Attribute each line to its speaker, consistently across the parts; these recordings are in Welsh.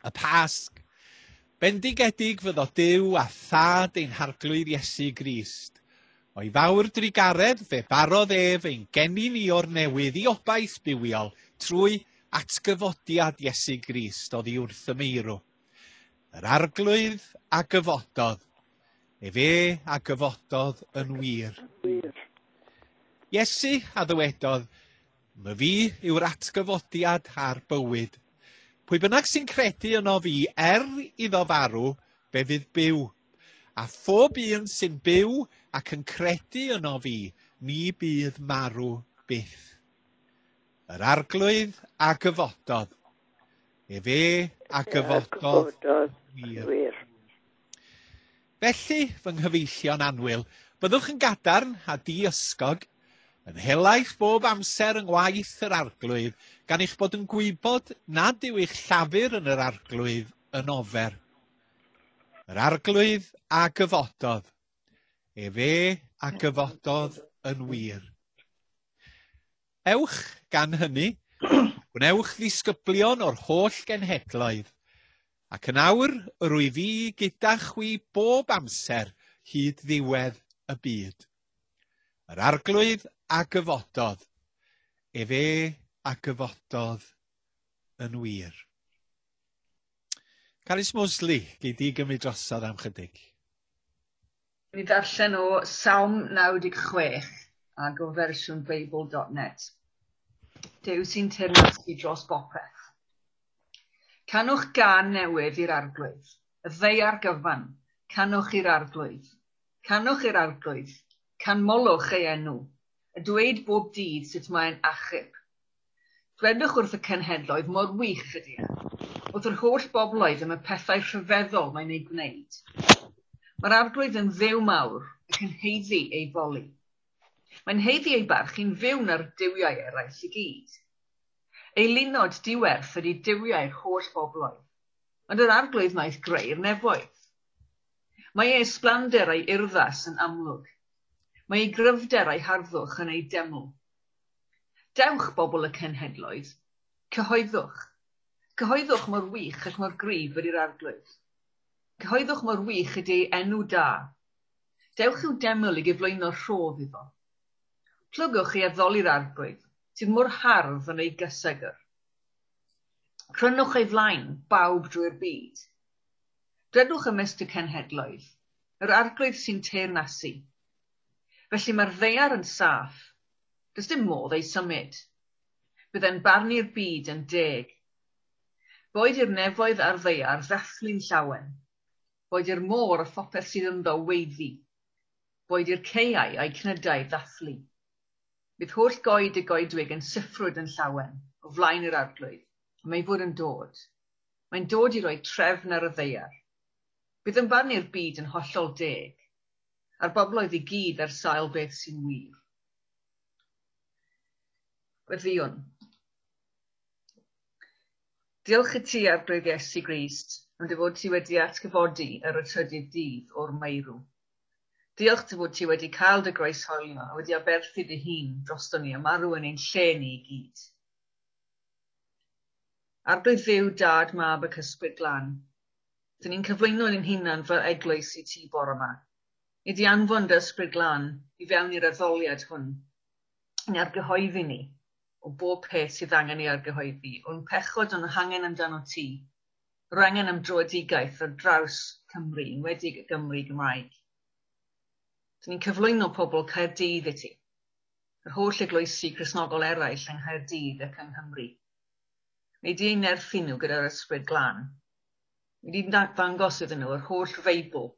Speaker 1: Y Pasg. Bendigedig fyddo Duw a Thad ein Harglwydd Iesu Grist. O'i fawr drugaredd fe barodd ef ein geni ni o'r newydd i obaith bywiol trwy atgyfodiad Iesu Grist oddi wrth y meirw. Yr Arglwydd a gyfododd. Efe a gyfododd yn wir. Iesu a ddywedodd, "Myfi yw'r atgyfodiad a'r bywyd. Pwy bynnag sy'n credu yno fi, er iddo farw, fe fydd byw. A phob un sy'n byw ac yn credu yno fi, ni bydd marw byth." Yr Arglwydd a gyfododd. Efe a gyfododd wir. Felly, fy nghyfeillion annwyl, byddwch yn gadarn a diysgog, yn helaeth bob amser yng ngwaith yr Arglwydd, gan eich bod yn gwybod nad yw eich llafur yn yr Arglwydd yn ofer. Yr Arglwydd a gyfododd. Efe a gyfododd yn wir. Ewch gan hynny, gwnewch ddisgyblion o'r holl genhedloedd, ac yn awr yr wyf fi gyda chwi bob amser hyd ddiwedd y byd. Yr Arglwydd a gyfododd, efe a gyfododd yn wir. Carys Mosley, gei di gymryd drosodd am chydig.
Speaker 2: Mi ddarllen o Salm 96 ag o fersiwn Beibl.net. Duw sy'n teyrnasu dros bopeth. Canwch gân newydd i'r Arglwydd, y ddaear gyfan, canwch i'r Arglwydd. Canwch i'r Arglwydd, canmolwch ei enw, a dweud bob dydd sut mae'n achub. Dwedwch wrth y cenhedloedd mor wych ydy e, wrth yr holl bobloedd am y pethau rhyfeddol mae'n ei gwneud. Mae'r Arglwydd yn Dduw mawr ac yn haeddu ei foli. Mae'n haeddu ei barch yn fyw na'r duwiau eraill i gyd. Eilunod diwerth ydy duwiau'r holl bobloedd, ond yr Arglwydd wnaeth greu'r nefoedd. Mae ei ysblander a'i urddas yn amlwg. Mae ei gryfder a'i harddwch yn ei deml. Dewch, bobl y cenhedloedd, cyhoeddwch. Cyhoeddwch mor wych ac mor gryf ydy'r Arglwydd. Cyhoeddwch mor wych ydy ei enw da. Dewch i'w deml i gyflwyno rhodd iddo. Plygwch i addoli'r Arglwydd, sydd mor hardd yn ei gysegr. Crynwch ei flaen, bawb drwy'r byd. Dwedwch ymysg y cenhedloedd, yr Arglwydd sy'n teyrnasu. Felly mae'r ddaear yn saff, does dim modd ei symud. Bydd e'n barnu'r byd yn deg. Boed i'r nefoedd a'r ddaear ddathlu'n llawen. Boed i'r môr a phopeth sydd ynddo weiddi. Boed i'r caeau a'i cnydau ddathlu. Bydd holl goed y goedwig yn siffrwd yn llawen o flaen yr Arglwydd, am ei fod yn dod. Mae'n dod i roi trefn ar y ddaear. Bydd yn barnu'r byd yn hollol deg, a'r bobloedd i gyd ar sail beth sy'n wir. Gweddïwn. Diolch i ti, Arglwydd Iesu Grist, am dy fod ti wedi atgyfodi ar y trydydd dydd o'r meirw. Diolch dy fod ti wedi cael dy groeshoelio a wedi aberthu dy hun drosto ni a marw yn ein lle ni i gyd. Arglwydd Dduw, Dad, Mab ac Ysbryd Glân, dyn ni'n cyflwyno ein hunan fel eglwys i ti bore yma. Nei di anfon dy Ysbryd Glân i fewn i'r addoliad hwn, i argyhoeddi ni o bob peth sydd angen ei argyhoeddi, o'n pechod o'n hangen amdano ti, yr angen am dröedigaeth ar draws Cymru, yn enwedig y Gymru Gymraeg. Dyn ni'n cyflwyno pobl Caerdydd i ti, yr holl eglwysi Cristnogol eraill yng Nghaerdydd ac yng Nghymru. Nei di eu nerthu nhw gyda'r Ysbryd Glân. Nei di ddangos iddyn nhw yr holl Feibl.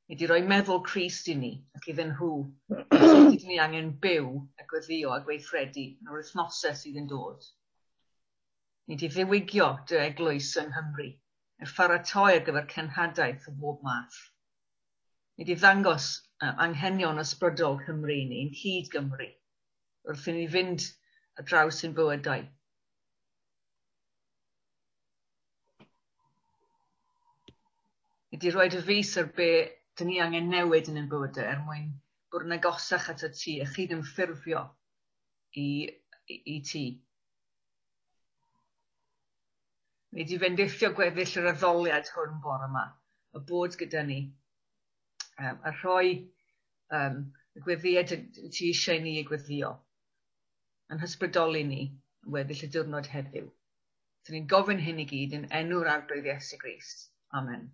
Speaker 2: Nei di roi meddwl Crist i ni ac iddyn nhw. Sut ydyn ni angen byw a gweddïo a gweithredu yn yr wythnosau sydd yn dod. Nei di ddiwygio dy eglwys yng Nghymru, er pharatoi ar gyfer cenhadaeth o bob math. Nei di ddangos anghenion ysbrydol Cymru i ni, yn hyd Gymru, wrth i ni fynd ar draws ein bywydau. Nei di roi dy fys ar be dyn ni angen newid yn ein bywydau er mwyn bod yn agosach at y ti a chyd-ymffurfio i ti. Wnei di fendithio gweddill yr addoliad hwn bore yma, y bod gyda ni, a rhoi y gweddïau ti eisiau ni ei gweddio, yn hysbrydoli ni yn weddill y diwrnod heddiw. So ni'n gofyn hyn i gyd yn enw'r Arglwydd Iesu Grist. Amen.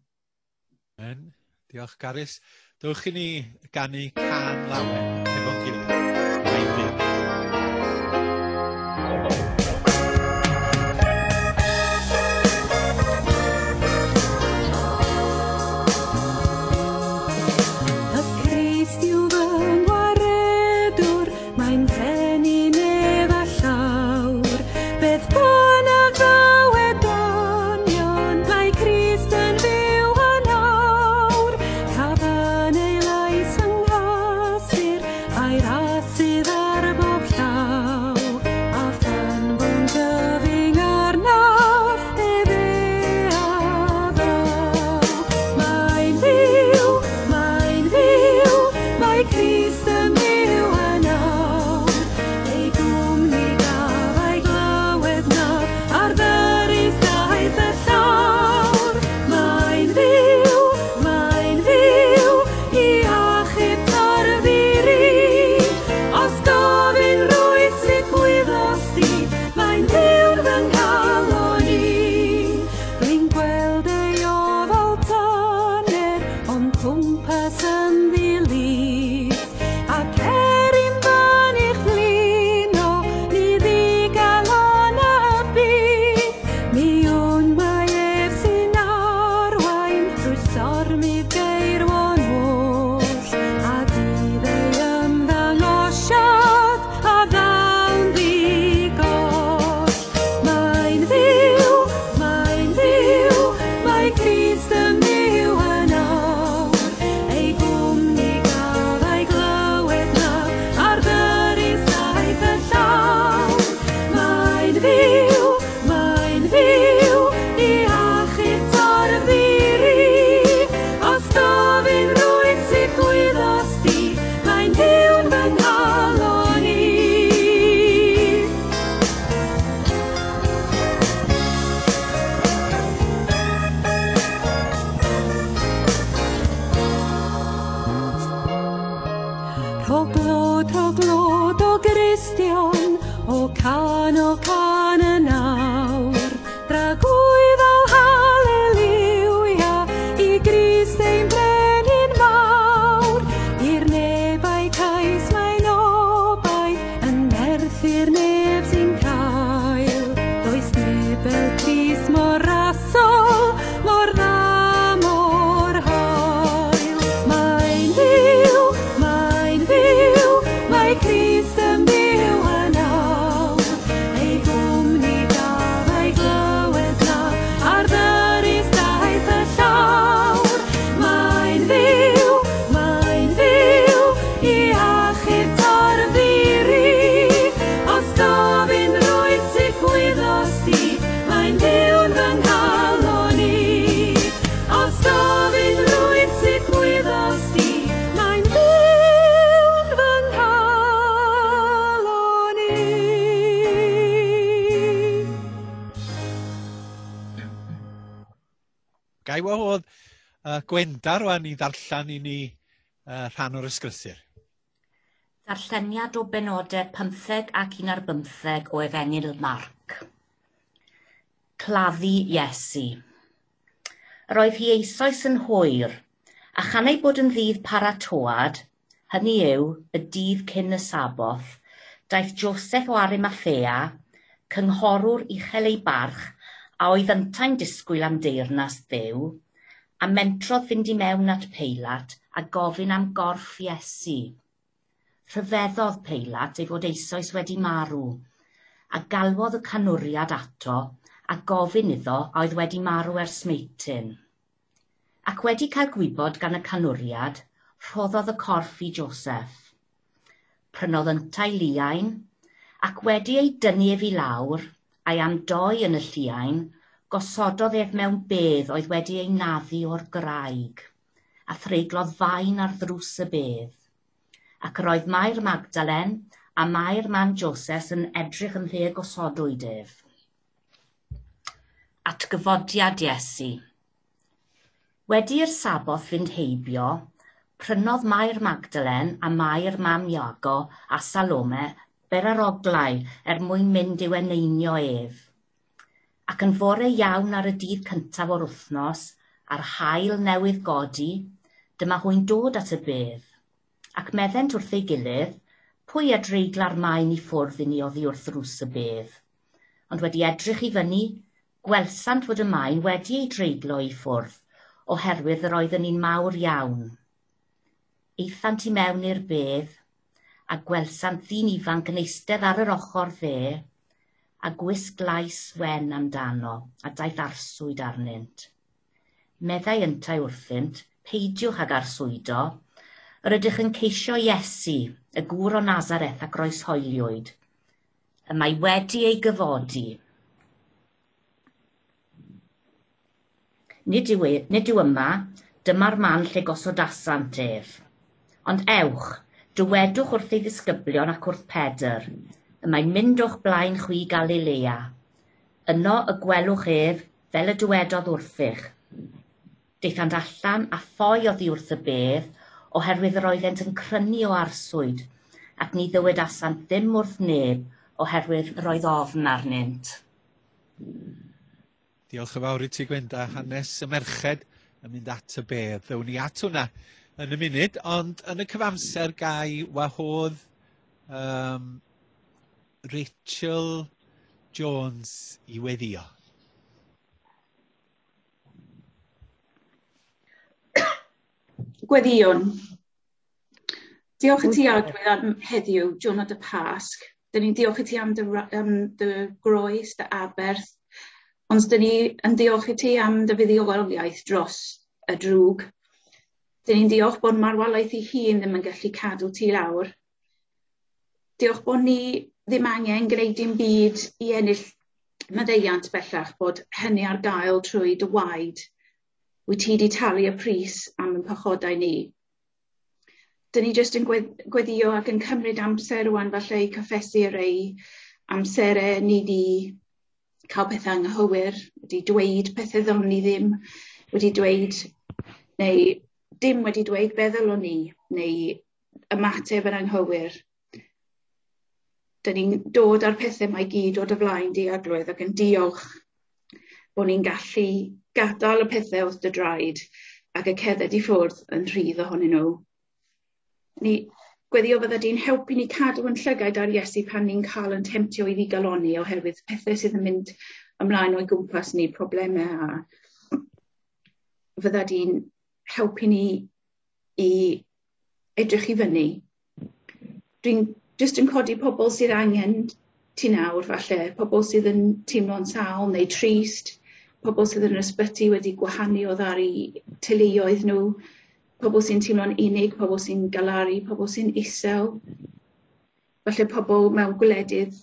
Speaker 1: Amen. Diolch, Carys. Dewch i ni ganu cân lawen efo'n gilydd. Mae'n fyw.
Speaker 3: Y Crist yw fy ngwaredwr, mae'n frenin ef a llawr. Beth bynnag ddaw edonion, mae Crist yn fyw yn awr. Caf yn ei lais yng nghysur, a'i ras sydd ar bob llaw. A phan fo'n gyfyng arnaf, efe a ddaw. Mae'n fyw, mae'n fyw, mae Crist yn byw yn awr. Ei gwmni gaf a'i glywed nawr, ar ddyrys daeth y llawr. Mae'n fyw, mae'n fyw, i achub tarfu. Os gofyn rwyt sut gwyddost di, mae'n fyw'n fy nghalon i. Rwy'n gweld ei ofal tyner o'm cwmpas yn ddi-lith, ac er i'm fynych flino, ni ddigalon a byth. Mi wn mai ef sy'n arwain drwy stormydd geirwon oll, a dydd ei ymddangosiad a ddawn ddi-goll. Mae'n fyw, mae'n fyw, mae Crist yn byw yn awr. Ei gwmni gaf a'i glywed nawr, ar ddyrys daeth y llawr. Mae'n fyw, mae'n fyw, i achub torf-ddi-ri. Os gofyn rwyt sut gwyddost di, mae'n fyw'n fy nghalon i. Rho glod, rho glod o Gristion, o can, o can yn awr. Dragwyddol haleliwia, i Grist ein brenin mawr. I'r neb a'i cais mae'n obaith, yn nerth i'r neb sy'n cael. Does neb fel Crist mor rasol, mor dda, mor hael. Mae'n fyw, mae'n fyw, mae Crist yn byw yn awr. Ei gwmni gaf a'i glywed nawr, ar ddyrys daeth y llawr. Mae'n fyw, mae'n fyw, i achub torf-ddi-ri. Os gofyn rwyt sut gwyddost di, mae'n fyw'n fy nghalon i. Os gofyn rwyt sut gwyddost di, mae'n fyw'n fy nghalon i.
Speaker 1: Gai wahodd Gwenda rwan i ddarllen i ni rhan o'r ysgrythur.
Speaker 4: Darlleniad o benodau 15 ac 15 o Efengyl Marc. Claddu Iesu. Yr oedd hi eisoes yn hwyr, a chan ei bod yn ddydd paratoad, hynny yw, y dydd cyn y Saboth, daeth Joseph o Arimathea, cynghorwr uchel ei barch, a oedd yntau'n disgwyl am deyrnas Dduw, a mentrodd fynd i mewn at Peilat a gofyn am gorff Iesu. Rhyfeddodd Peilat ei fod eisoes wedi marw, a galwodd y canwriad ato a gofyn iddo a oedd wedi marw ers meitin. Ac wedi cael gwybod gan y canwriad, rhoddodd y corff i Joseph. Prynodd yntau liain, ac wedi ei dynnu ef i lawr, a'i amdoi yn y lliain, gosododd ef mewn bedd oedd wedi ei naddu o'r graig, a threiglodd faen ar ddrws y bedd. Ac yr oedd Mair Magdalen a Mair mam Joses yn edrych ym mhle gosodwyd ef. Atgyfodiad Iesu. Wedi i'r Saboth fynd heibio, prynodd Mair Magdalen a Mair mam Iago a Salome beraroglau er mwyn mynd i'w eneinio ef. Ac yn fore iawn ar y dydd cyntaf o'r wythnos, a'r haul newydd godi, dyma hwy'n dod at y bedd. Ac meddent wrth ei gilydd, pwy a dreigla'r maen i ffwrdd i ni oddi wrth ddrws y bedd? Ond wedi edrych i fyny, gwelsant fod y maen wedi ei dreiglo i ffwrdd, oherwydd yr oedd yn un mawr iawn. Aethant i mewn i'r bedd, a gwelsant ddyn ifanc yn eistedd ar yr ochr dde, a gwisg lais wen amdano, a daeth arswyd arnynt. Meddai yntau wrthynt, peidiwch ag arswydo, yr ydych yn ceisio Iesu, y gŵr o Nazareth a groeshoeliwyd. Y mae wedi ei gyfodi. Nid yw, e, nid yw yma, dyma'r man lle gosodasant ef. Ond ewch, dywedwch wrth ei ddisgyblion ac wrth Pedr, y mae'n mynd o'ch blaen chwi Galilea. Yno y gwelwch ef, fel y dywedodd wrthych. Daethant allan a ffoi oddi wrth y bedd, oherwydd yr oeddent yn crynu o arswyd, ac ni ddywedasant ddim wrth neb, oherwydd yr oedd ofn arnynt.
Speaker 1: Diolch yn fawr i ti Gwenda, hanes y merched yn mynd at y bedd. Ddewn ni at hwnna yn y munud, ond yn y cyfamser gai wahodd Rachel Jones i weddio.
Speaker 5: Gweddïwn. Diolch i ti Arglwydd am heddiw, diwrnod y Pasg. Dyn ni'n diolch i ti am dy, am dy groes, dy aberth, ond dyn ni yn diolch i ti am dy fuddugoliaeth dros y drwg. Dyn ni'n diolch bod marwolaeth ei hun ddim yn gallu cadw ti lawr. Diolch bod ni ddim angen gwneud dim byd i ennill maddeuant bellach, bod hynny ar gael trwy dy waed. Wyt ti wedi talu y pris am ein pechodau ni. Dyn ni jyst yn gweddio ac yn cymryd amser rwan falle i cyffesu rei amserau ni di cael pethau anghywir, wedi dweud pethau ddylwn ni ddim wedi dweud, neu dim wedi dweud be ddylwn ni, neu ymateb yn anghywir. Dyn ni'n dod â'r pethau mae gyd o dy flaen di Arglwydd ac yn diolch bod ni'n gallu gadael y pethau wrth dy draed ac y cerdded i ffwrdd yn rhydd ohonyn nhw. Ni gweddio fydda di'n helpu ni cadw yn llygaid ar Iesu pan ni'n cael yn temtio i ddigalonni oherwydd pethau sydd yn mynd ymlaen o'i gwmpas ni, problemau, a fydda di'n helpu ni i edrych i fyny. Dwi'n jyst yn codi pobl sydd angen ti nawr falle, pobl sydd yn teimlo'n sâl neu trist, pobl sydd yn yr ysbyty wedi gwahanu o ddaru teuluoedd nhw, pobl sy'n teimlo'n unig, pobl sy'n galaru, pobl sy'n isel. Falle pobl mewn gwledydd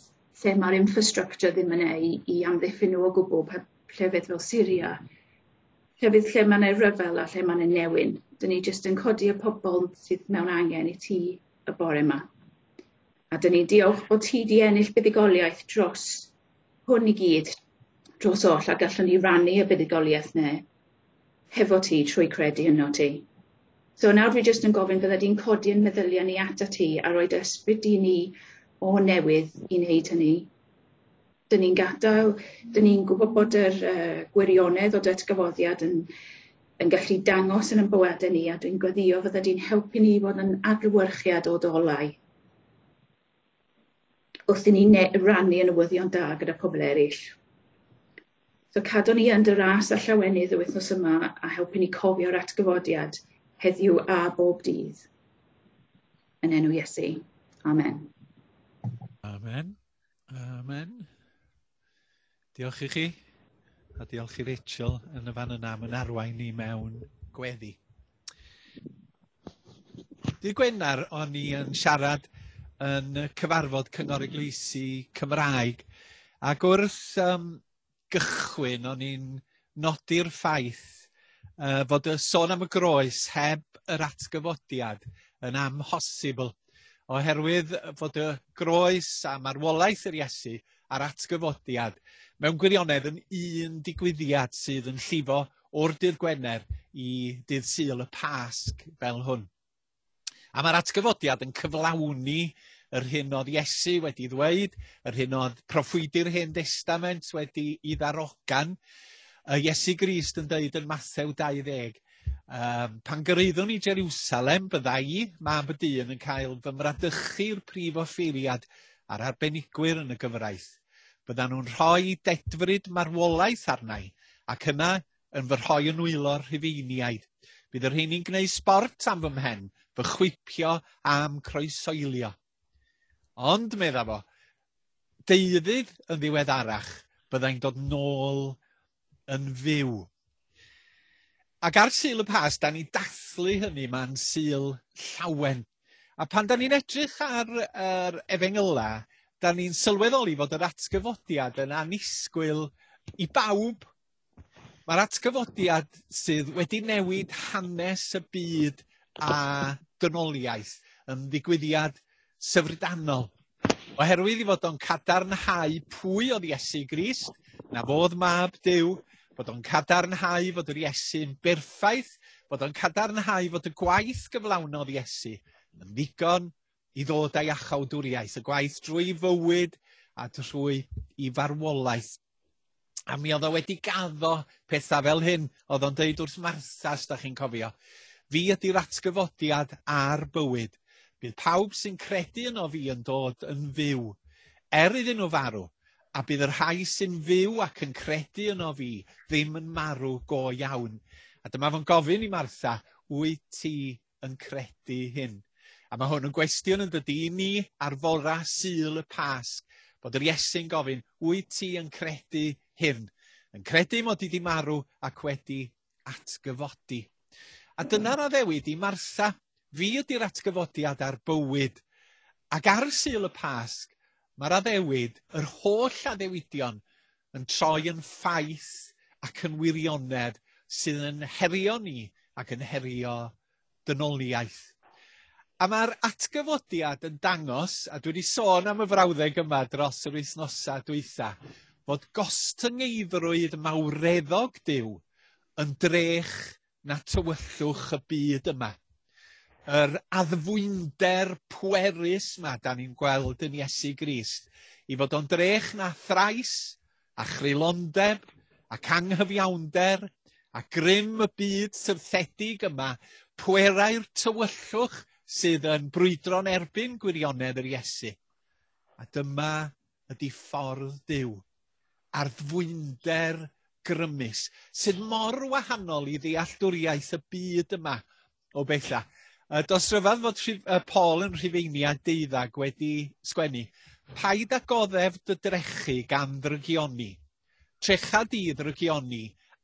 Speaker 5: lle mae'r infrastructure ddim yn ei i amddiffyn nhw o gwbl, llefydd fel Syria, llefydd lle mae yna ryfel a lle mae yna newyn. Dyn ni jyst yn codi y pobl sydd mewn angen i ti y bore yma. A dyn ni'n diolch bod ti di ennill buddugoliaeth dros hwn i gyd, dros oll, a gallwn ni rannu y buddugoliaeth ne hefo ti trwy credu yno ti. So nawr dwi jyst yn gofyn fydda di'n codi yn meddyliau ni ata ti a rhoi dy ysbryd i ni o newydd i wneud hynny. Dyn ni'n gadael, dyn ni'n gwybod bod yr gwirionedd o datgyfoddiad yn, yn gallu dangos yn ein bywydau ni, a dwi'n gweddio fydda di'n helpu ni i fod yn adlewyrchiad o dolau wrth i ni rannu y newyddion da gyda pobl eraill. So cadw ni yn dy ras a llawenydd y wythnos yma a helpu ni cofio'r atgyfodiad heddiw a bob dydd. Yn enw Iesu. Amen.
Speaker 1: Amen. Amen. Diolch i chi, a diolch i Rachel yn y fan yna am yn arwain ni mewn gweddi. Dydd Gwener o'n i yn siarad yn y cyfarfod Cyngor Eglwysi Cymraeg, ac wrth gychwyn o'n i'n nodi'r ffaith fod y sôn am y groes heb yr atgyfodiad yn amhosibl, oherwydd fod y groes a marwolaeth yr Iesu a'r atgyfodiad mewn gwirionedd yn un digwyddiad sydd yn llifo o'r dydd Gwener i dydd Sul y Pasg fel hwn. A mae'r atgyfodiad yn cyflawni yr hyn oedd Iesu wedi ddweud, yr hyn oedd proffwydi'r Hen Destament wedi i ddarogan. Iesu Grist yn dweud yn Mathew 20, pan gyrraeddwn i Jerusalem, bydda i, mab y dyn, yn cael fy mradychu'r prif offeiriad a'r arbenigwyr yn y gyfraith. Byddan nhw'n rhoi dedfryd marwolaeth arna i, ac yna yn fy rhoi yn nwylo'r Rhufeiniaid. Bydd y rheini'n gwneud sbort am fy mhen, fy chwipio am croesoelio. Ond, medda fo, deuddydd yn ddiweddarach, byddai'n dod nôl yn fyw. Ac ar Sul y Pasg, da ni'n dathlu hynny, mae'n Sul llawen. A pan da ni'n edrych ar yr efengyla, da ni'n sylweddoli fod yr atgyfodiad yn annisgwyl i bawb. Mae'r atgyfodiad sydd wedi newid hanes y byd a dynoliaeth yn ddigwyddiad syfrdanol. Oherwydd i fod o'n cadarnhau pwy oedd Iesu Grist, na fodd mab Duw, bod o'n cadarnhau fod yr Iesu'n berffaith, bod o'n cadarnhau fod y gwaith gyflawnodd Iesu yn ddigon i ddod â'i iachawdwriaeth, y gwaith drwy fywyd a drwy i farwolaeth. A mi oedd o wedi gaddo pethau fel hyn, oedd o'n deud wrth Martha, os da chi'n cofio. Fi ydy'r atgyfodiad a'r bywyd. Bydd pawb sy'n credu yno fi yn dod yn fyw, er iddyn nhw farw, a bydd y rhai sy'n fyw ac yn credu yno fi ddim yn marw go iawn. A dyma fo'n gofyn i Martha, wyt ti yn credu hyn? A mae hwn yn gwestiwn yn dydy i ni ar fora Sul y Pasg, bod yr Iesu'n gofyn, wyt ti yn credu hyn? Yn credu mod i di marw ac wedi atgyfodi. A dyna'r addewid i Martha. Fi ydy'r atgyfodiad a'r bywyd. Ac ar Sul y Pasg, mae'r addewid, yr holl addewidion, yn troi yn ffaith ac yn wirionedd sydd yn herio ni ac yn herio dynoliaeth. A mae'r atgyfodiad yn dangos, a dwi wedi sôn am y frawddeg yma dros yr wythnosau dwytha, fod gostyngeiddrwydd mawreddog Duw yn drech na tywyllwch y byd yma. Yr addfwynder pwerus yma da ni'n gweld yn Iesu Grist, i fod o'n drech na thrais a chreulondeb ac anghyfiawnder a grym y byd syrthedig yma, pwerau'r tywyllwch sydd yn brwydro'n erbyn gwirionedd yr Iesu. A dyma ydy ffordd Duw, a'r ddfwynder grymus, sydd mor wahanol i ddealltwriaeth y byd yma o bethau. Dos rhyfedd fod Paul yn Rhufeiniau 12 wedi sgwennu, paid â goddef dy drechu gan ddrygioni, trecha di ddrygioni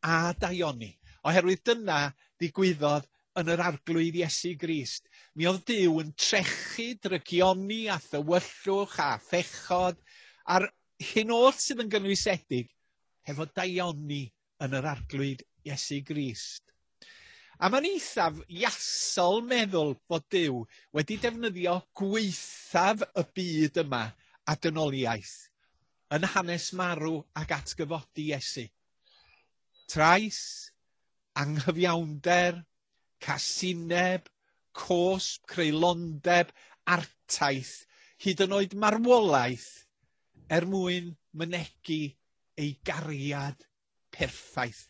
Speaker 1: a daioni, oherwydd dyna ddigwyddodd yn yr arglwydd Iesu Grist. Mi oedd Duw yn trechu drygioni a thywyllwch a phechod a'r hyn oll sydd yn gynwysedig hefo daioni yn yr arglwydd Iesu Grist. A mae'n eithaf iasol meddwl fod Duw wedi defnyddio gwaethaf y byd yma a dynoliaeth yn hanes marw ac atgyfodi Iesu. Trais, anghyfiawnder, casineb, cosb, creulondeb, artaith, hyd yn oed marwolaeth, er mwyn mynegi ei gariad perffaith.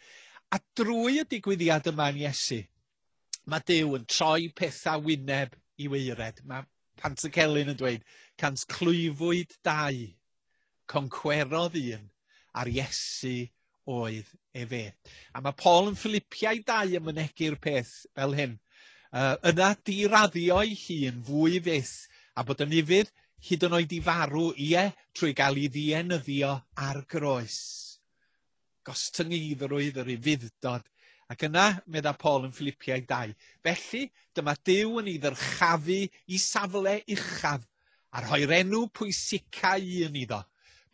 Speaker 1: A drwy y digwyddiad yma yn Iesu, mae Duw yn troi pethau wyneb i waered. Mae Pantycelyn yn dweud, cant clwyfwyd dau, concwerodd un, a'r Iesu oedd efe. A mae Paul yn Philippiau 2 yn mynegi'r peth fel hyn. Yna diraddio'i hun fwy fyth, a bod yn ufudd hyd yn oed i farw, ie, trwy gael ei ddienyddio ar groes. Gostyngeiddrwydd yr ufuddod. Ac yna, medda Paul yn Philippiau 2, felly dyma Duw yn ei ddyrchafu i safle uchaf a rhoi'r enw pwysica un iddo.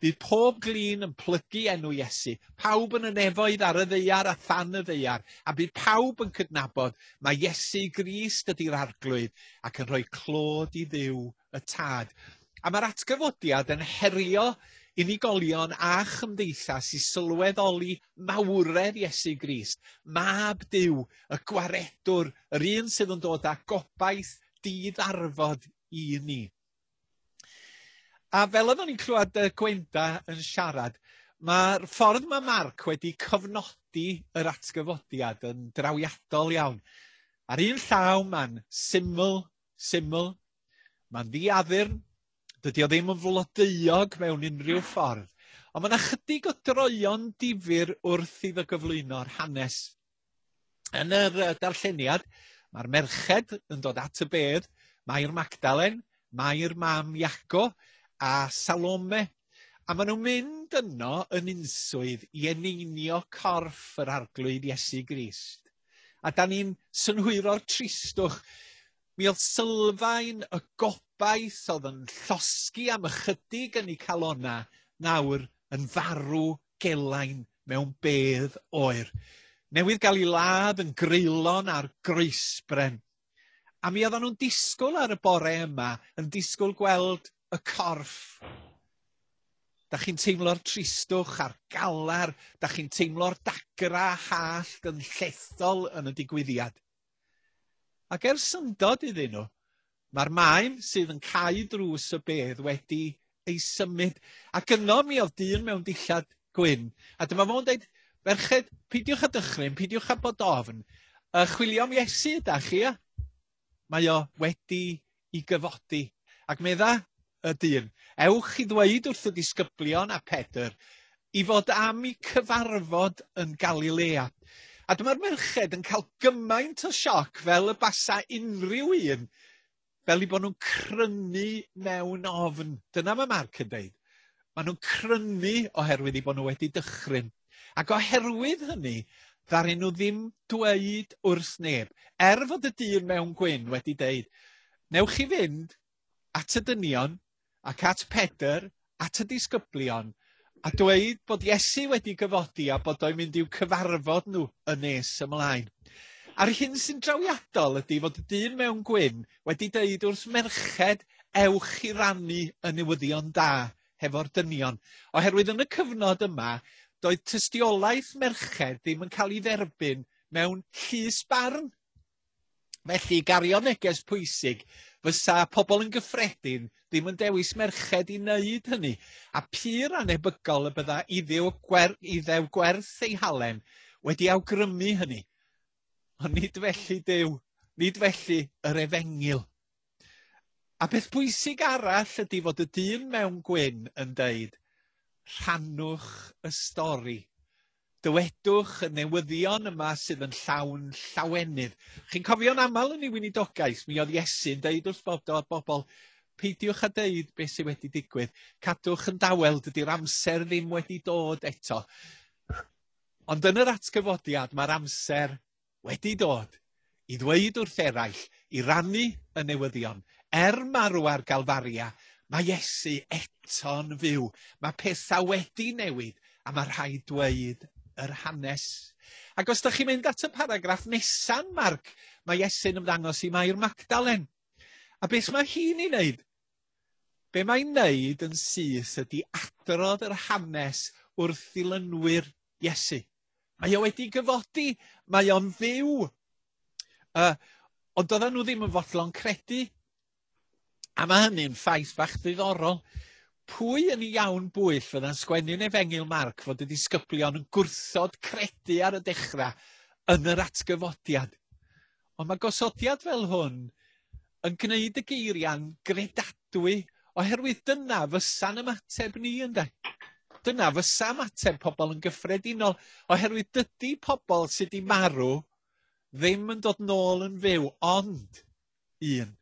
Speaker 1: Bydd pob glin yn plygu enw Iesu, pawb yn y nefoedd ar y ddaear a than y ddaear, a bydd pawb yn cydnabod mae Iesu Grist ydy'r arglwydd ac yn rhoi clod i Dduw y Tad. A mae'r atgyfodiad yn herio unigolion a chymdeithas i sylweddoli mawredd Iesu Grist, mab Duw, y gwaredwr, yr un sydd yn dod â gobaith diddarfod i ni. A fel oeddwn ni'n clywed Gwenda yn siarad, mae'r ffordd mae Marc wedi cofnodi yr atgyfodiad yn drawiadol iawn. Ar un llaw mae'n syml, syml, mae'n ddiaddurn, dydy o ddim yn flodeuog mewn unrhyw ffordd, ond mae yna chydig o droion difyr wrth iddo gyflwyno'r hanes. Yn yr darlleniad, mae'r merched yn dod at y bedd, Mair Magdalen, Mair mam Iago a Salome. A maen nhw'n mynd yno yn unswydd i eneinio corff yr arglwydd Iesu Grist. A da ni'n synhwyro'r tristwch. Mi oedd sylfaen y gobaith oedd yn llosgi am ychydig yn eu calona nawr yn farw gelain mewn bedd oer. Newydd gael ei ladd yn greulon ar groesbren. A mi oedden nhw'n disgwyl ar y bore yma, yn disgwyl gweld y corff. Da chi'n teimlo'r tristwch a'r galar, da chi'n teimlo'r dagra hallt yn llethol yn y digwyddiad. Ac er syndod iddyn nhw, mae'r maen sydd yn cau drws y bedd wedi ei symud. Ac yno mi oedd dyn mewn dillad gwyn. A dyma fo'n dweud, ferched, peidiwch â dychryn, peidiwch â bod ofn. Chwilio am Iesu ydach chi, ia? Mae o wedi i gyfodi. Ac medda y dyn, ewch i ddweud wrth y disgyblion a Pedr i fod am eu cyfarfod yn Galilea. A dyma'r merched yn cael gymaint o sioc fel y basa unrhyw un, fel i bod nhw'n crynu mewn ofn. Dyna mae Marc yn deud. Maen nhw'n crynu oherwydd i bod nhw wedi dychryn. Ac oherwydd hynny, ddaru nhw ddim dweud wrth neb. Er fod y dyn mewn gwyn wedi deud, newch chi fynd at y dynion ac at Pedr, at y disgyblion, a dweud bod Iesu wedi gyfodi a bod o'n mynd i'w cyfarfod nhw yn nes ymlaen. A'r hyn sy'n drawiadol ydy fod y dyn mewn gwyn wedi deud wrth merched, ewch i rannu y newyddion da hefo'r dynion. Oherwydd yn y cyfnod yma, doedd tystiolaeth merched ddim yn cael ei dderbyn mewn llys barn. Felly, gario neges pwysig, fysa pobl yn gyffredin ddim yn dewis merched i wneud hynny, a pur anebygol y bydda iddew gwerth ei halen wedi awgrymu hynny. Ond nid felly Duw, nid felly yr efengyl. A beth pwysig arall ydy fod y dyn mewn gwyn yn deud, rhannwch y stori. Dywedwch y newyddion yma sydd yn llawn llawenydd. Chi'n cofio'n aml yn ei weinidogaeth, mi oedd Iesu'n deud wrth bobl, peidiwch â deud beth sydd wedi digwydd. Cadwch yn dawel, dydy'r amser ddim wedi dod eto. Ond yn yr atgyfodiad, mae'r amser wedi dod i ddweud wrth eraill, i rannu y newyddion. Er marw ar Galfaria, mae Iesu eto'n fyw. Mae pethau wedi newid a mae rhaid dweud yr hanes. Ac os ydych chi'n mynd at y paragraff nesa'n Marc, mae Iesu'n ymddangos i Mair Magdalen. A beth mae hi'n ei wneud? Be mae'n wneud yn syth ydy adrodd yr hanes wrth ddilynwyr Iesu. Mae o wedi gyfodi, mae o'n fyw. Ond doedden nhw ddim yn fodlon credu. A mae hynny'n ffaith bach ddiddorol. Pwy yn iawn bwyll fydda'n sgwennu'n Efengyl Marc fod y disgyblion yn gwrthod credu ar y dechrau yn yr atgyfodiad? Ond mae gosodiad fel hwn yn gwneud y geiriau'n gredadwy, oherwydd dyna fysa'n ymateb ni, ynde? Dyna fysa ymateb pobl yn gyffredinol, oherwydd dydy pobl sydd wedi marw ddim yn dod nôl yn fyw, ond un,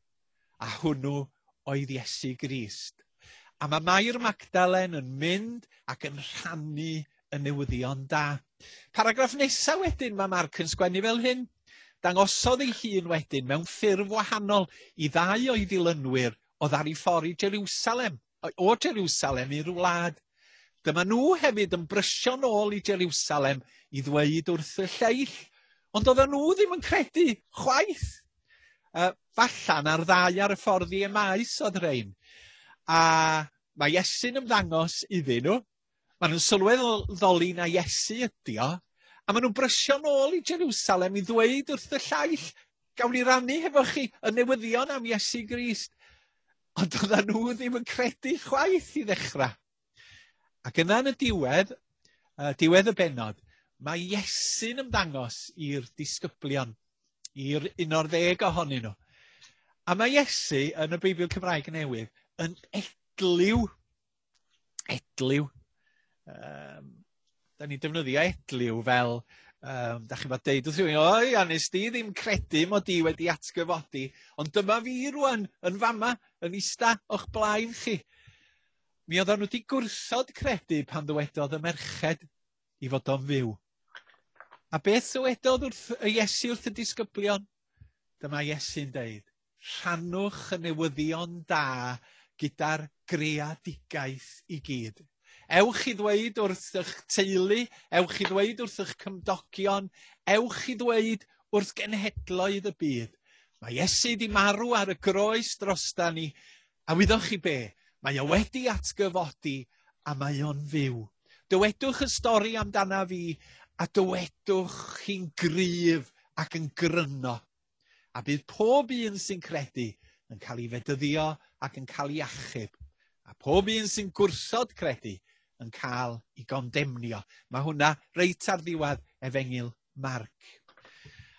Speaker 1: a hwnnw oedd Iesu Grist. A mae Mair Magdalen yn mynd ac yn rhannu y newyddion da. Paragraff nesaf wedyn mae Marc yn sgwennu fel hyn. Dangosodd ei hun wedyn mewn ffurf wahanol i ddau o'i ddilynwyr oedd ar ei ffordd i Jerusalem, o Jerusalem i'r wlad. Dyma nhw hefyd yn brysio nôl i Jerusalem i ddweud wrth y lleill, ond oedden nhw ddim yn credu chwaith. Fallan ar ddau ar y ffordd i Emaus oedd rhain. A Mae Iesu'n ymddangos iddyn nhw. Maen nhw'n sylweddoli na Iesu ydi o, a maen nhw'n brysio nôl i Jerusalem i ddweud wrth y llaill, gawn ni rannu hefo chi y newyddion am Iesu Grist. Ond oedden nhw ddim yn credu chwaith i ddechrau. Ac yna yn y diwedd, diwedd y bennod, mae Iesu'n ymddangos i'r disgyblion, i'r 11 ohonyn nhw. A mae Iesu yn y Beibl Cymraeg Newydd yn edliw. Edliw. Da ni'n defnyddio edliw fel, da chi'n fod deud wrth rhywun, o ia, nes di ddim credu mod i wedi atgyfodi, ond dyma fi rwan yn fama, yn ista o'ch blaen chi. Mi oedden nhw wedi gwrthod credu pan ddywedodd y merched i fod o'n fyw. A beth ddywedodd wrth y Iesu wrth y disgyblion? Dyma Iesu'n deud, rhannwch y newyddion da gyda'r greadigaeth i gyd. Ewch i ddweud wrth eich teulu, ewch i ddweud wrth eich cymdogion, ewch i ddweud wrth genhedloedd y byd. Mae Iesu di marw ar y groes drosta ni, a wyddoch chi be? Mae o wedi atgyfodi a mae o'n fyw. Dywedwch y stori amdana fi, a dywedwch chi'n gryf ac yn gryno. A bydd pob un sy'n credu yn cael ei fedyddio ac yn cael ei achub. A pob un sy'n gwrthod credu yn cael ei gondemnio. Mae hwnna reit ar ddiwedd Efengyl Marc.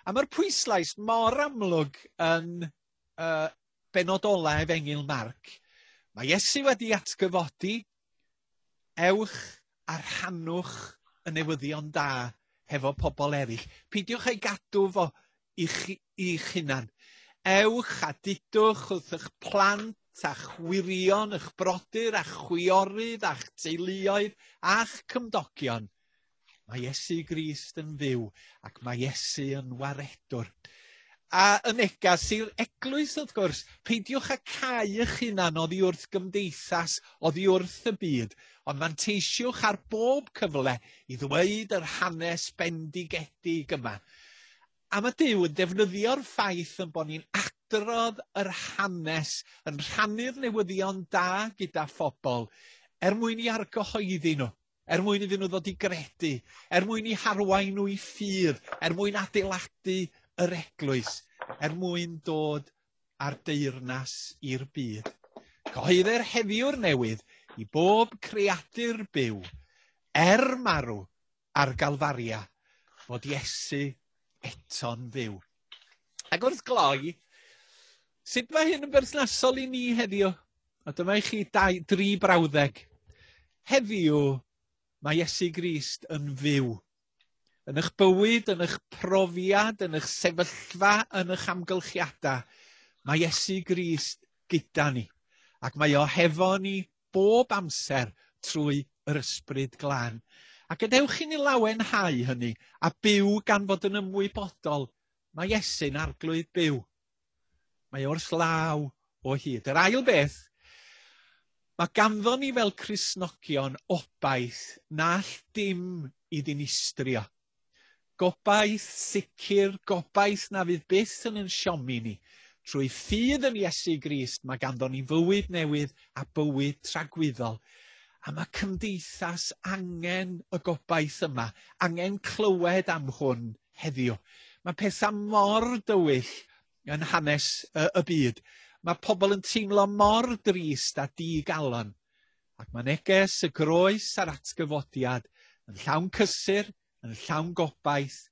Speaker 1: A mae'r pwyslais mor amlwg yn bennod ola Efengyl Marc. Mae Iesu wedi atgyfodi, ewch a rhannwch y newyddion da hefo pobl eraill. Peidiwch ei gadw fo i'ch hunan. Ewch a dudwch wrth eich plant a'ch wyrion, eich brodyr a'ch chwiorydd a'ch teuluoedd a'ch cymdogion. Mae Iesu Grist yn fyw ac mae Iesu yn waredwr. A y negas i'r eglwys, wrth gwrs, peidiwch â cau eich hunan oddi wrth gymdeithas, oddi wrth y byd, ond manteisiwch ar bob cyfle i ddweud yr hanes bendigedig yma. A mae Duw yn defnyddio'r ffaith yn bod ni'n adrodd yr hanes, yn rhannu'r newyddion da gyda phobl, er mwyn i argyhoeddi nhw, er mwyn iddyn nhw ddod i gredu, er mwyn i harwain nhw i ffydd, er mwyn adeiladu yr eglwys, er mwyn dod ar deyrnas i'r byd. Cyhoeddir heddiw'r newydd i bob creadur byw, er marw ar Galfaria, fod Iesu eto'n fyw. Ac wrth gloi, sut mae hyn yn berthnasol i ni heddiw? A dyma i chi 3 brawddeg. Heddiw, mae Iesu Grist yn fyw. Yn eich bywyd, yn eich profiad, yn eich sefyllfa, yn eich amgylchiadau, mae Iesu Grist gyda ni. Ac mae o hefo ni bob amser trwy yr Ysbryd Glân. A gadewch i ni lawenhau hynny a byw gan fod yn ymwybodol. Mae Iesu'n arglwydd byw. Mae wrth law o hyd. Yr ail beth, mae ganddo ni fel Cristnogion obaith na all dim i ddinistrio. Gobaith sicr, gobaith na fydd byth yn ein siomi ni. Trwy ffydd yn Iesu Grist, mae ganddo ni fywyd newydd a bywyd tragwyddol. A mae cymdeithas angen y gobaith yma, angen clywed am hwn heddiw. Mae pethau mor dywyll yn hanes y byd. Mae pobl yn teimlo mor drist a digalon. Ac mae neges y groes a'r atgyfodiad yn llawn cysur, yn llawn gobaith,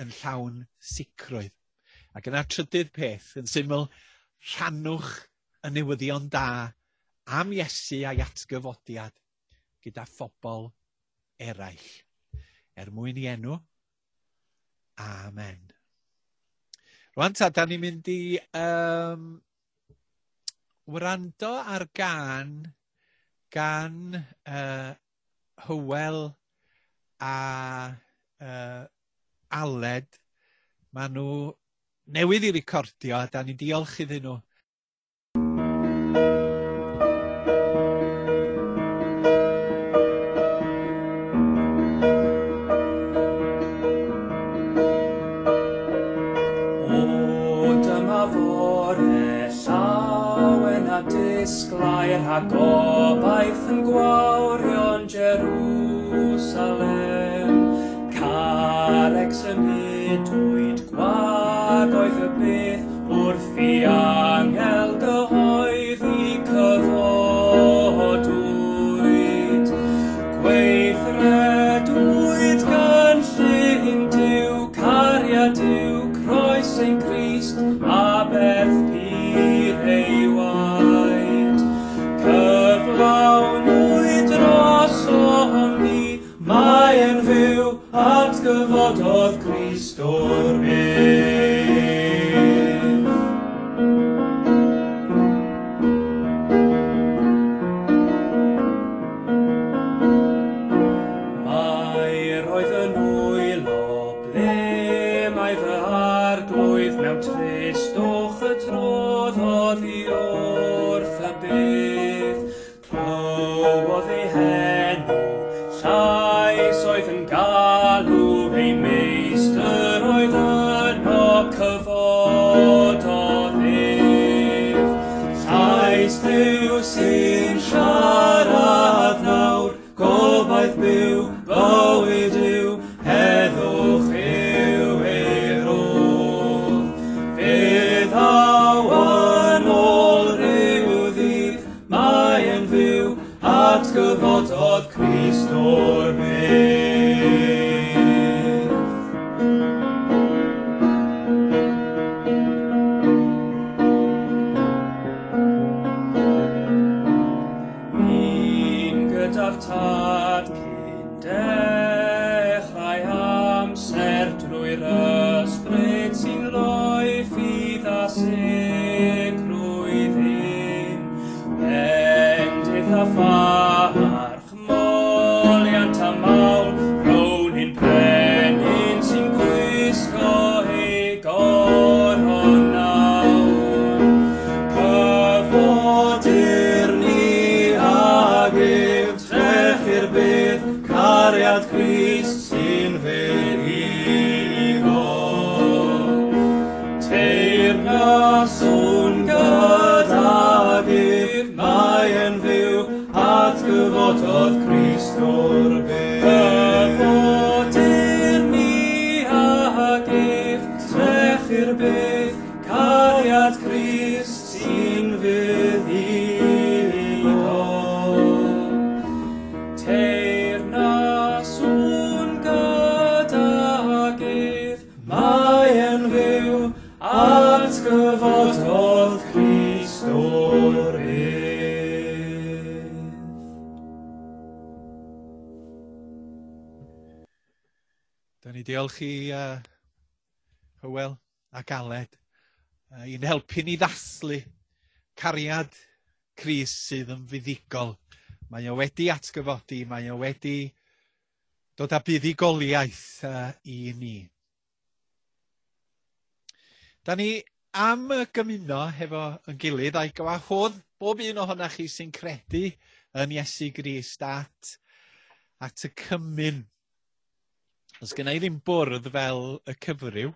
Speaker 1: yn llawn sicrwydd. Ac yna trydydd peth, yn syml, rhannwch y newyddion da am Iesu a'i atgyfodiad gyda phobl eraill. Er mwyn i enw, amen. Rwan ta, da ni'n mynd i wrando ar gan gan Hywel a Aled. Maen nhw newydd i recordio a da ni'n diolch iddyn nhw.
Speaker 6: O, dyma fore llawen a disglair a gobaith yn gwawrio'n Jerusalem. Carreg symudwyd gwag oedd y bydd wrth i angel gyhoeddi cyfodwyd. Gweithredwyd gynllun Duw, cariad Duw, croes ein Crist, aberth pur ei waed. Cyflawnwyd drosom ni, mae'n fyw, atgyfododd Crist o'r bedd. Mair oedd yn wylo, ble mae fy arglwydd mewn tristwch y trodd oddi wrth y bydd. Clywodd ei henw, llais oedd yn galw, ei meistr oedd yno cyfododd ef. Llais Duw sy'n siarad nawr, gobaith byw, bywyd yw, heddwch yw ei rodd. Fe ddaw yn ôl ryw ddydd, mae'n fyw, atgyfododd Crist o'r bedd. Un gyda'r Tad cyn dechrau amser drwy'r ysbryd sy'n rhoi ffydd a sicrwydd hyn. Bendith a pharch, moliant a mawl, rown ein brenin sy'n gwisgo ei goron nawr. Cyfodir ni ag ef, trechu'r bydd, cariad Crist sy'n fuddugol. Teyrnaswn gydag ef, mae'n fyw, atgyfododd Crist o'r bedd. Cyfodir ni ag ef, trechu'r bydd, cariad Crist sy'n fuddugol. Teyrnaswn gydag ef, mae'n fyw, atgyfododd Crist o'r bedd.
Speaker 1: Da ni diolch i Hywel ac Aled i'n helpu ni ddathlu cariad Crist sydd yn fuddugol. Mae o wedi atgyfodi, mae o wedi dod â buddugoliaeth i ni. Da ni am gymuno hefo yn gilydd a'i gwahodd bob un ohonoch chi sy'n credu yn Iesu Grist at y cymun. Os gynna i ddim bwrdd fel y cyfryw,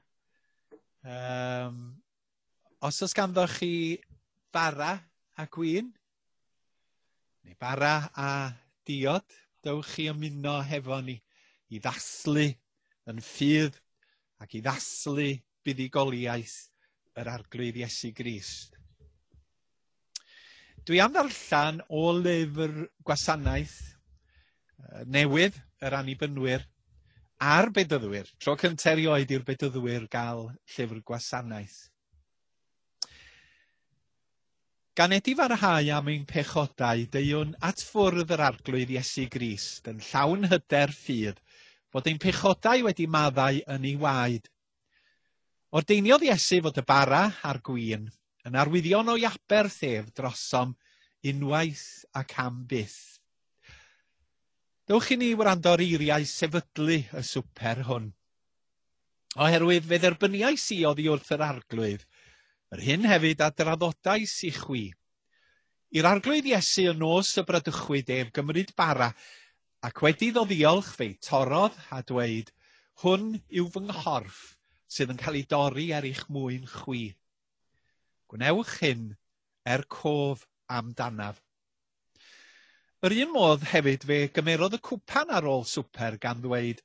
Speaker 1: os oes ganddoch chi bara a gwin, neu bara a diod, dewch chi ymuno hefo ni i ddathlu yn ffydd ac i ddathlu buddugoliaeth yr Arglwydd Iesu Grist. Dwi am ddarllen o lyfr gwasanaeth newydd yr Annibynwyr a'r Bedyddwyr. Tro cyntaf erioed i'r Bedyddwyr gael llyfr gwasanaeth. Gan edifarhau am ein pechodau, deuwn at ffwrdd yr Arglwydd Iesu Grist yn llawn hyder ffydd, fod ein pechodau wedi maddau yn ei waed. Ordeiniodd Iesu fod y bara a'r gwin yn arwyddion o'i aberth ef drosom unwaith ac am byth. Dewch i ni wrando ar eiriau sefydlu y swper hwn. Oherwydd fe dderbyniais i oddi wrth yr Arglwydd, yr hyn hefyd a draddodais i chwi. I'r Arglwydd Iesu y nos y bradychwyd ef gymryd bara, ac wedi iddo ddiolch fe'i torrodd a dweud, hwn yw fy nghorff sydd yn cael ei dorri er eich mwyn chwi. Gwnewch hyn er cof amdanaf. Yr un modd hefyd fe gymerodd y cwpan ar ôl swper gan ddweud,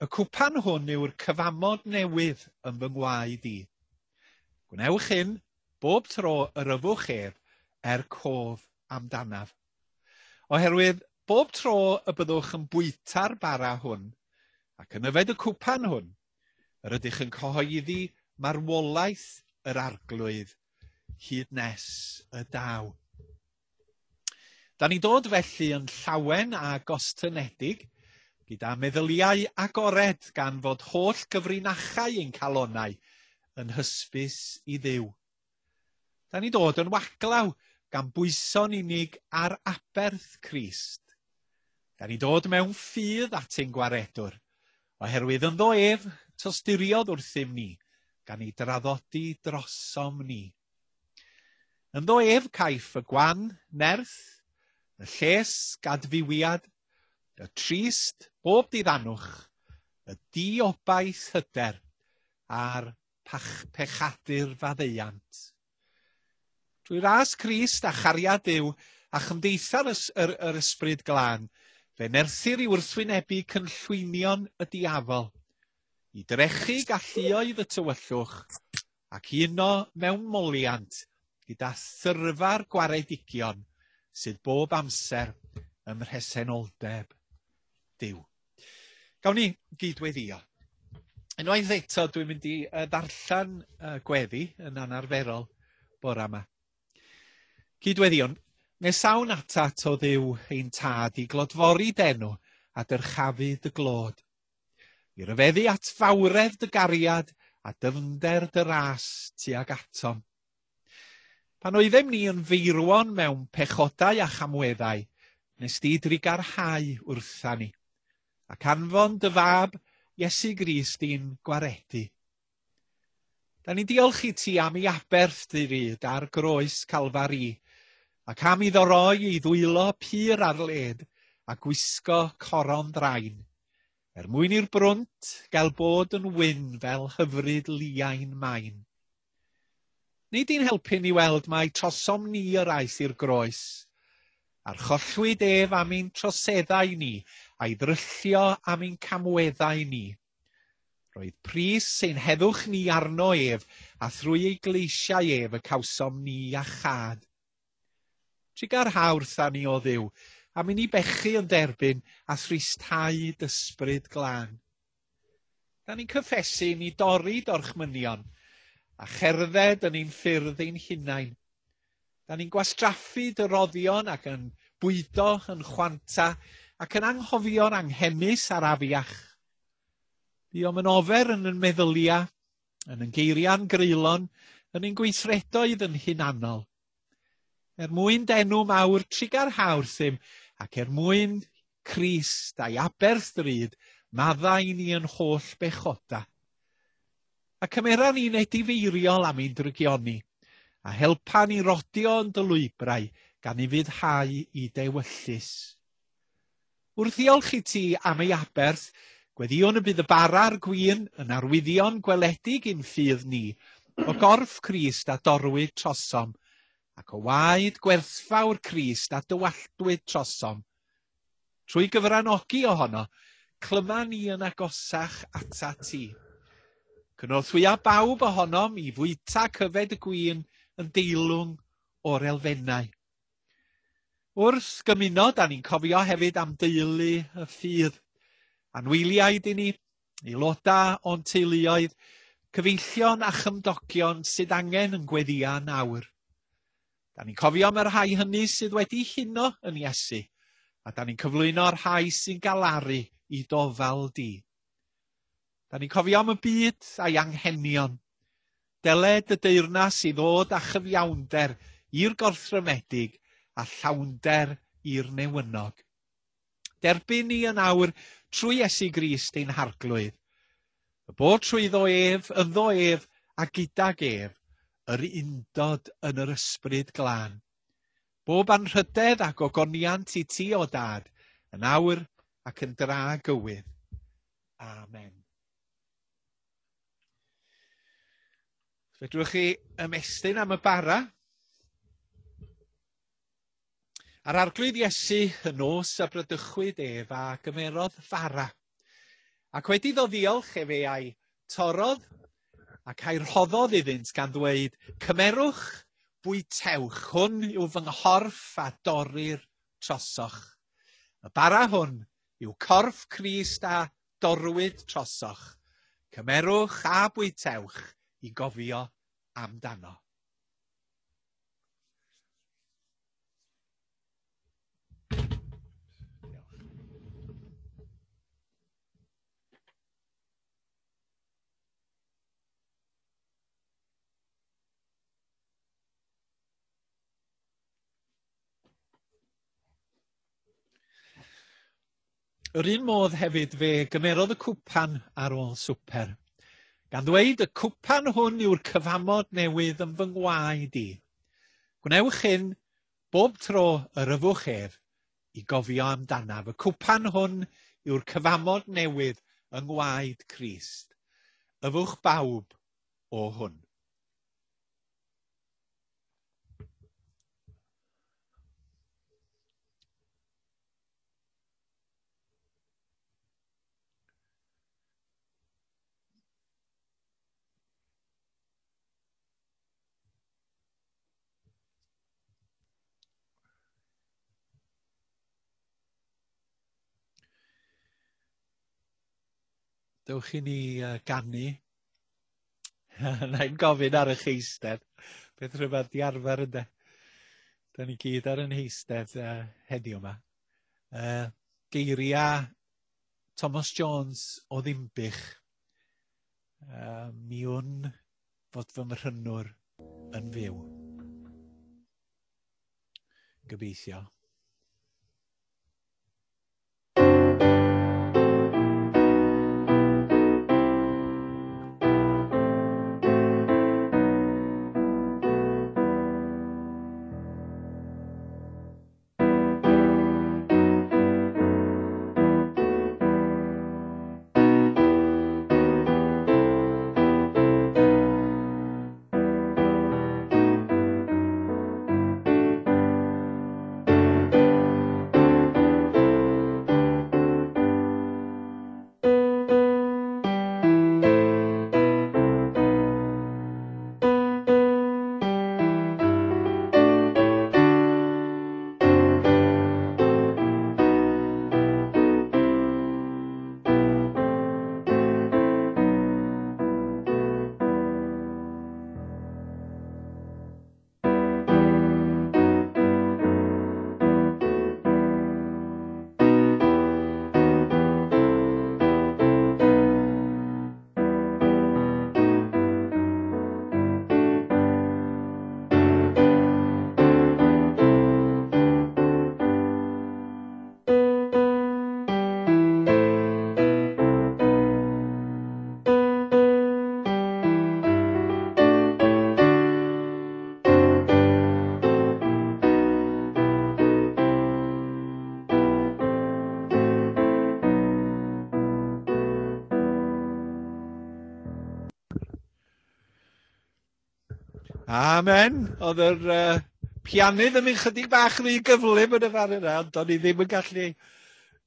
Speaker 1: y cwpan hwn yw'r cyfamod newydd yn fy ngwaed i. Gwnewch hyn bob tro yr yfwch ef er cof amdanaf. Oherwydd bob tro y byddwch yn bwyta'r bara hwn ac yn yfed y cwpan hwn, yr ydych yn cyhoeddi marwolaeth yr Arglwydd hyd nes y daw. Da ni'n dod felly yn llawen a gostynedig, gyda meddyliau agored gan fod holl gyfrinachau ein calonau yn hysbys i Dduw. Da ni'n dod yn waglaw gan bwyso'n unig ar aberth Crist. Da ni'n dod mewn ffydd at ein gwaredwr, oherwydd ynddo ef tosturiodd wrthym ni, gan ei draddodi drosom ni. Ynddo ef caiff y gwan, nerth, y lles gadfywiad, y trist bob diddanwch, y diobaith hyder, a'r pechadur faddeuant. Drwy ras Crist a chariad Duw a chymdeitha'r yr ysbryd glân, fe nerthir i wrthwynebu cynllwynion y diafol, i drechu galluoedd y tywyllwch ac uno mewn moliant gyda thyrfa'r gwaredigion sydd bob amser ym mhresenoldeb Duw. Gawn ni gydweddio. Unwaith eto dwi'n mynd i ddarllen gweddi yn anarferol bore yma. Cydweddion, nesawn atat o Dduw ein tad i glodfori d'enw a dyrchafu dy glod. I ryfeddu at fawredd dy gariad a dyfnder dy ras tuag atom. Pan oeddem ni yn feirwon mewn pechodau a chamweddau, nes di drugarhau wrtha ni, ac anfon dy fab Iesu Grist i'n gwaredu. Da ni'n diolch i ti am ei aberth dy ryd ar groes Calfari, ac am iddo roi ei ddwylo pur ar led a gwisgo coron ddrain, er mwyn i'r brwnt gael bod yn wyn fel hyfryd liain main. Nid i'n helpu ni weld mai trosom ni yr aeth i'r groes, archollwyd ef am ein troseddau ni, a'i ddryllio am ein camweddau ni. Roedd pris ein heddwch ni arno ef, a thrwy ei gleisiau ef y cawsom ni a chad. Trugarha wrtha ni o Dduw, am i ni bechu yn derbyn a thristhau d'ysbryd glân. Da ni'n cyffesu ni dorri dorchmynion a cherdded yn ein ffyrdd ein hunain. Da ni'n gwastraffu dy roddion ac yn bwydo yn chwanta ac yn anghofio'r anghenus a'r afiach. Buom yn ofer yn yn meddylia, yn yn geiriau'n greulon, yn ein gweithredoedd yn hunanol. Er mwyn d'enw mawr trugarha wrthym, ac er mwyn Crist a'i aberth drud, maddau ni yn holl bechoda. A cymera ni'n edifeiriol am ein drygioni, a helpa ni rodio yn dy lwybrau gan i fuddhau i dewyllys. Wrth ddiolch i ti am ei aberth, gweddïwn y bydd y bara a'r gwin yn arwyddion gweledig i'n ffydd ni, o gorff Crist a dorwyd trosom, ac o waed gwerthfawr Crist a dywalltwyd trosom. Trwy gyfranogi ohono, clyma ni yn agosach ata ti. Cynorthwya bawb ohonom i fwyta cyfed y gwin yn deilwng o'r elfennau. Wrth gymuno, da ni'n cofio hefyd am deulu y ffydd. Anwyliaid i ni, aelodau o'n teuluoedd, cyfeillion a chymdogion sydd angen yn gweddia nawr. Da ni'n cofio am y rhai hynny sydd wedi huno yn Iesu, a da ni'n cyflwyno'r rhai sy'n galaru i dofal di. Da ni'n cofio am y byd a'i anghenion. Deled y deyrnas i ddod â chyfiawnder i'r gorthrymedig a llawnder i'r newynog. Derbyn ni yn awr trwy Iesu Grist ein harglwydd. Y bod trwyddo ef, ynddo ef a gydag ef, yr undod yn yr ysbryd glân. Bob anrhydedd ac ogoniant i ti o dad, yn awr ac yn dragywydd. Amen. Fedrwch chi ymestyn am y bara? A'r Arglwydd Iesu y nos a bradychwyd ef a gymerodd fara. Ac wedi iddo ddiolch efe a'i torrodd ac a'i rhoddodd iddynt gan ddweud, cymerwch, bwytewch, hwn yw fy nghorff a dorrir trosoch. Y bara hwn yw corff Crist a dorrwyd trosoch. Cymerwch a bwytewch i gofio amdano. Yr un modd hefyd fe gymerodd y cwpan ar ôl swper, gan ddweud y cwpan hwn yw'r cyfamod newydd yn fy ngwaed i. Gwnewch hyn bob tro yr yfwch ef i gofio amdanaf. Y cwpan hwn yw'r cyfamod newydd yng ngwaed Crist. Yfwch bawb o hwn. Dewch i ni ganu. Na i'n gofyn ar eich eistedd. Beth rhyfedd di arfer ynde. Da ni gyd ar yn heistedd heddiw yma. Geiriau Thomas Jones o Ddinbych. Mi wn fod fy mhrynwr yn fyw. Gobeithio. Amen. Oedd yr pianydd yn mynd chydig bach rhy gyflym yn y fan yna, ond o'n i ddim yn gallu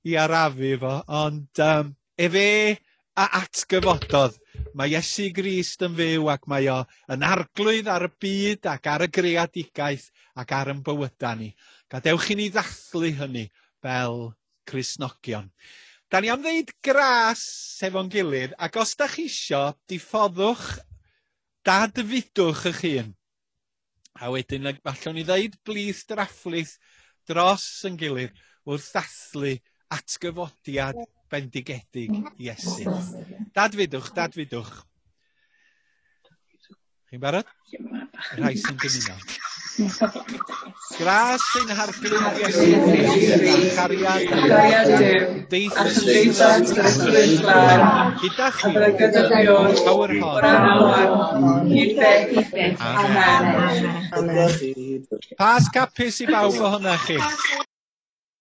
Speaker 1: i arafu fo. Ond efe a atgyfododd. Mae Iesu Grist yn fyw ac mae o yn arglwydd ar y byd ac ar y greadigaeth ac ar ein bywydau ni. Gadewch i ni ddathlu hynny fel Cristnogion. Da ni am ddeud gras efo'n gilydd, ac os da chi isio, diffoddwch, dadfudwch eich hun. A wedyn allwn ni ddeud blith drafflith dros yn gilydd wrth ddathlu atgyfodiad bendigedig Iesu. Dadfudwch, dadfudwch. Chi'n barod? Y rhai sy'n dymuno. Gras ein Harglwydd Iesu Grist a chariad Duw, cymdeithas yr Ysbryd Glân, gyda chwi, awr hon, hyd byth. Amen. Pasg hapus i bawb ohonoch chi.